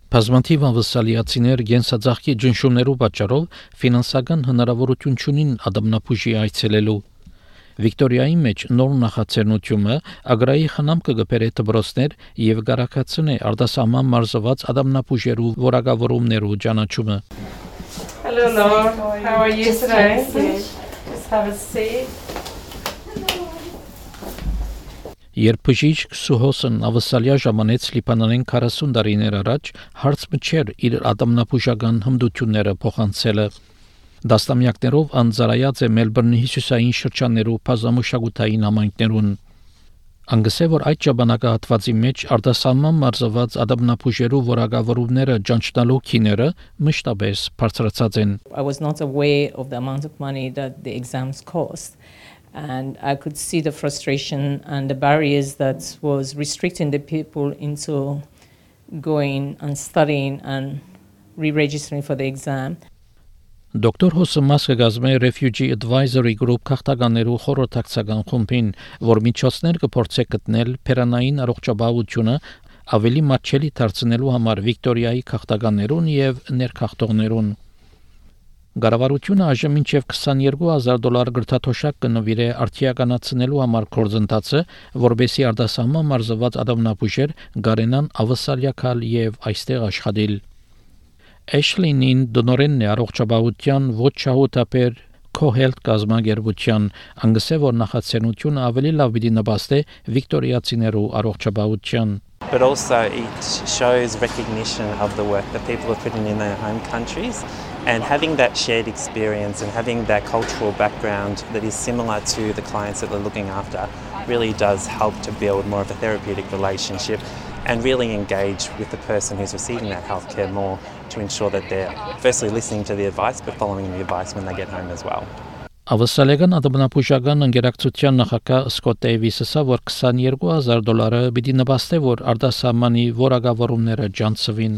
Բազմաթիվ անվսալիացիներ գենսաձախքի ջնշումներու պատճառով ֆինանսական հնարավորություն չունին ադամնապուժի այցելելու։ Վիկտորիայի մեջ նոր նախաձեռնությունը ագրայի խնամքը գբերե դպրոցներ եւ գարակացնե արտասահման մարզված ադամնապուժերու որակավորումներու ճանաչումը։ Hello, Lord. How are you today? Just have a seat. Երբ բժիշկ Սուհոսն ավսալիա ժամանեց Լիբանանեն 40 տարիներ առաջ հարց մչեր իր ադամնապուժական հմտությունները փոխանցելը։ Դաստամյակներով անձարայած է Մելբուրնի հյուսիսային շրջաններու բազմամշակութային համայնքներուն։ Անգսե որ այդ ժամանակահատվածի մեջ արտասահման մարզված ադամնապուժերու որակավորումները ճանչնալու քիները մշտապես բարձրացած են։ I was not aware of the amount of money that the exams cost. And I could see the frustration and the barriers that was restricting the people into going and studying and re-registering for the exam. Դոկտոր Հոսը մասը գազմե Refugee Advisory Group քաղաքականերու խորհրդակցական խումբին, որ միջոցներ կփորձե գտնել փերանային առողջապահությունը ավելի մատչելի դարձնելու համար Վիկտորիայի քաղաքականերուն եւ ներքախտողներուն։ Գարավարությունը այժմ մինչև $22,000 գրթաթոշակ կնվիրե արդիականացնելու համար կորձընթացը, որբեսի արտասահման մարզված ադամնապուժեր գարենան ավսալիակալ եւ այստեղ աշխատել։ Էշլինին դոնորենն է առողջապահության ոչ շահութաբեր Co-Health կազմակերպության, անգսե որ նախաձեռնությունը ավելի լավ պիտի նպաստի վիկտորիացիներու առողջապահության։ But also it shows recognition of the work that people are putting in their home countries. And having that shared experience and having that cultural background that is similar to the clients that they're looking after really does help to build more of a therapeutic relationship and really engage with the person who's receiving that healthcare more to ensure that they're firstly listening to the advice but following the advice when they get home as well. Ավսալեգան ադամնապուժական ընկերակցության նախագահ Սկոտ Դեյվիսը ասա, որ $22,000 պիտի նպաստի, որ արտասահմանի որակավորումները ջանցվին։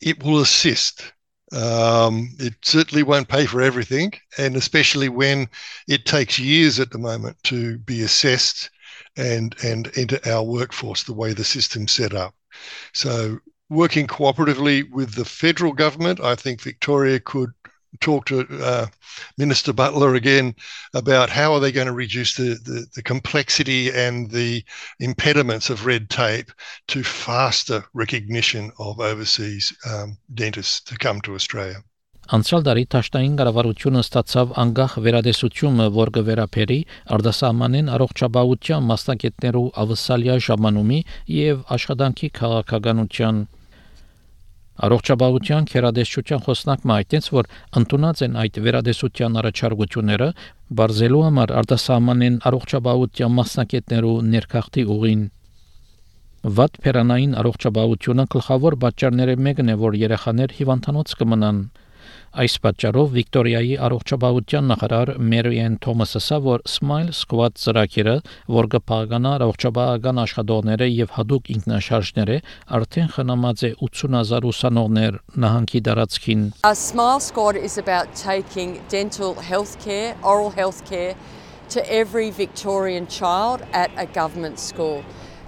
It will assist. It certainly won't pay for everything, and especially when it takes years at the moment to be assessed and enter our workforce the way the system's set up. So working cooperatively with the federal government, I think Victoria could talk to Minister Butler again about how are they going to reduce the complexity and the impediments of red tape to faster recognition of overseas dentists to come to Australia. Անցյալ տարի Թաշտային կառավարությունը ստացավ անգախ վերադեսությունը, որ կվերապերի արտասահմանեն առողջապահության մասնագետներու ավսալիա ժամանումի եւ աշխատանքի քաղաքականության։ Առողջապահության քերադեսչության խոսնակը այդտենց որ ընդունած են այդ վերադեսության առաջարկությունները բարձելու համար արտասահմանեն առողջապահության մասնակիցներու ներքախտի ուղին։ Վատ փերանային առողջապահությունը գլխավոր պատճառները մեկն է, որ երեխաներ հիվանդանոց կմնան։ Այս պատճառով Վիկտորիայի առողջապահության նախարար Մերիեն Թոմասը ասա, որ Smile Squad ծրագիրը, որ կփաղկանա առողջապահական աշխատողները եւ հadoop ինքնաշարժները, արդեն խնամած է 80,000 ուսանողներ նահանգի տարածքին։ Smile Squad is about taking dental healthcare, oral healthcare to every Victorian child at a government school.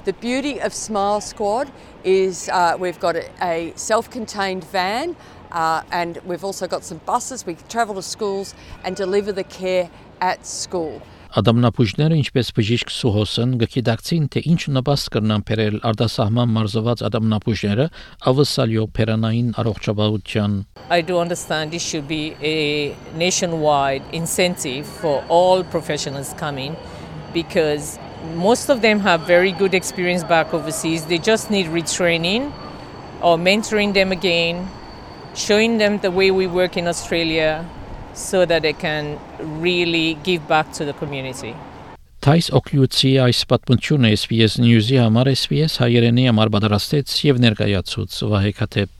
The beauty of Smile Squad is we've got a self-contained van. And we've also got some buses. We travel to schools and deliver the care at school. Ադամնապուժները, ինչպես բժիշկ Սուհոսն, գիտակցին, թե ինչ նպաստ կրնան բերել արտասահման մարզված ադամնապուժները ավսալիո փերանային առողջապահության։ I do understand this should be a nationwide incentive for all professionals coming because most of them have very good experience back overseas. They just need retraining or mentoring them again. Showing them the way we work in Australia so that they can really give back to the community. Թայս օկլյուցի այս պատմությունը SBS News-ի համար SBS հայերենի համար պատրաստեց եւ ներկայացուց Վահե Քաթեփ